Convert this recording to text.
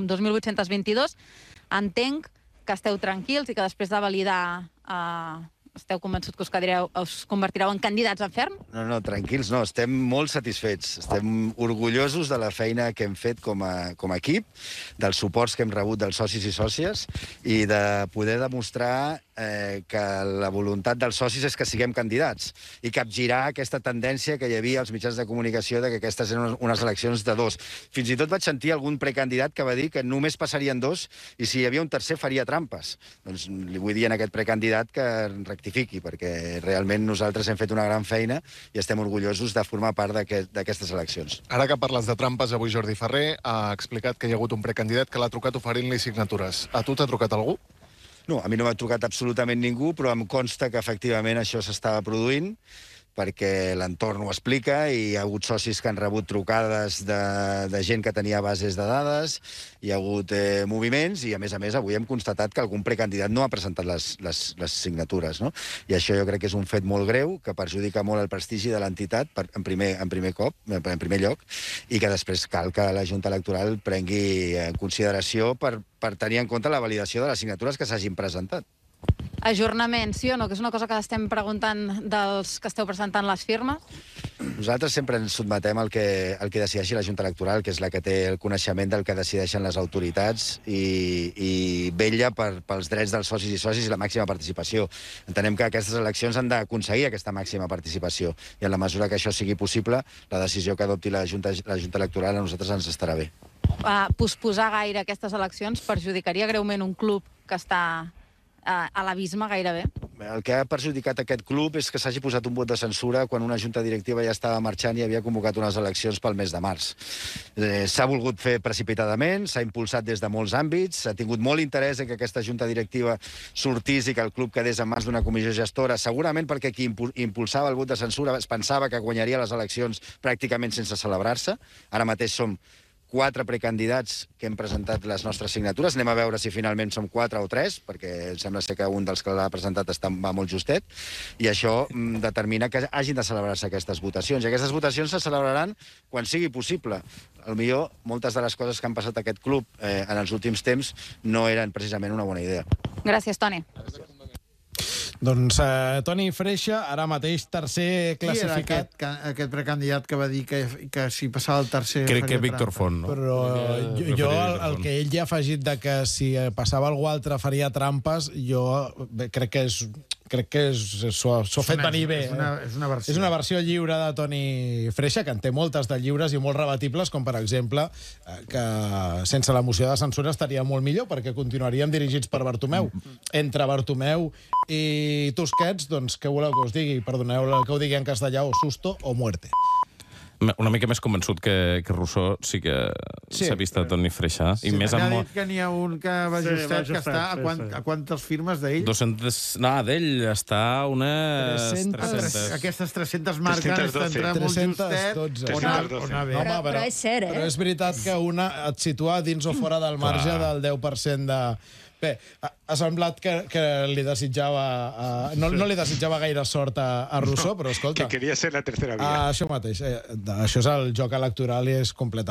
2.822. Entenc que esteu tranquils i que després de validar esteu convençuts que us convertireu en candidats en ferm? No, tranquils no. Estem molt satisfets. Estem orgullosos de la feina que hem fet com a equip, dels suports que hem rebut dels socis i sòcies i de poder demostrar que la voluntat dels socis és que siguem candidats i capgirar aquesta tendència que hi havia als mitjans de comunicació de que aquestes eren unes eleccions de dos. Fins i tot vaig sentir algun precandidat que va dir que només passarien dos i si hi havia un tercer faria trampes. Doncs li vull dir a aquest precandidat que rectifiqui, perquè realment nosaltres hem fet una gran feina i estem orgullosos de formar part d'aquestes eleccions. Ara que parles de trampes, avui Jordi Ferrer ha explicat que hi ha hagut un precandidat que l'ha trucat oferint-li signatures. A tu t'ha trucat algú? No, a mi no m'ha trucat absolutament ningú, però em consta que efectivament això s'estava produint, perquè l'entorn ho explica i hi ha hagut socis que han rebut trucades de gent que tenia bases de dades, hi ha hagut moviments i, a més, avui hem constatat que algun precandidat no ha presentat les signatures, no? I això jo crec que és un fet molt greu, que perjudica molt el prestigi de l'entitat, en primer lloc, i que després cal que la Junta Electoral prengui en consideració per tenir en compte la validació de les signatures que s'hagin presentat. Ajornament, sí o no? Que és una cosa que estem preguntant dels que esteu presentant les firmes. Nosaltres sempre ens sotmetem al que decideixi la Junta Electoral, que és la que té el coneixement del que decideixen les autoritats i vetlla pels drets dels socis i socis i la màxima participació. Entenem que aquestes eleccions han d'aconseguir aquesta màxima participació i en la mesura que això sigui possible, la decisió que adopti la Junta Electoral a nosaltres ens estarà bé. Posposar gaire aquestes eleccions perjudicaria greument un club que està a l'abisme gairebé? El que ha perjudicat aquest club és que s'hagi posat un vot de censura quan una junta directiva ja estava marxant i havia convocat unes eleccions pel mes de març. S'ha volgut fer precipitadament, s'ha impulsat des de molts àmbits, s'ha tingut molt interès en que aquesta junta directiva sortís i que el club quedés en mans d'una comissió gestora, segurament perquè qui impulsava el vot de censura es pensava que guanyaria les eleccions pràcticament sense celebrar-se. Ara mateix som 4 precandidats que hem presentat les nostres signatures. Anem a veure si finalment som 4 o 3, perquè sembla ser que un dels que l'ha presentat va molt justet, i això determina que hagin de celebrar-se aquestes votacions. I aquestes votacions se celebraran quan sigui possible. Potser moltes de les coses que han passat a aquest club en els últims temps no eren precisament una bona idea. Gràcies, Toni. Doncs Toni Freixa, ara mateix tercer classificat. Qui era aquest precandidat que va dir que si passava el tercer... Crec que Víctor Font, no? Però jo, el que ell ja ha afegit de que si passava algú altre faria trampes, jo crec que s'ho ha fet venir bé. És una versió lliure de Toni Freixa, que en té moltes de lliures i molt rebatibles, com per exemple que sense la moció de censura estaria molt millor, perquè continuaríem dirigits per Bartomeu. Entre Bartomeu i Tusquets, doncs què voleu que us digui? Perdoneu que ho digui en castellà, o susto o muerte. Una mica més convençut que Rousseau sí que s'ha vist a Toni Freixa. Ha dit que n'hi ha un que va justet, que està a quantes firmes d'ell? 200... No, d'ell està unes 300. Aquestes 300 marques estan molt justet. 312. Però és cert, Però és veritat que una et situa dins o fora del marge del 10% de... Bé, ha semblat que li desitjava... No li desitjava gaire sort a Rousseau, però escolta... Que queria ser la tercera via. Això mateix. Això és el joc electoral i és completament...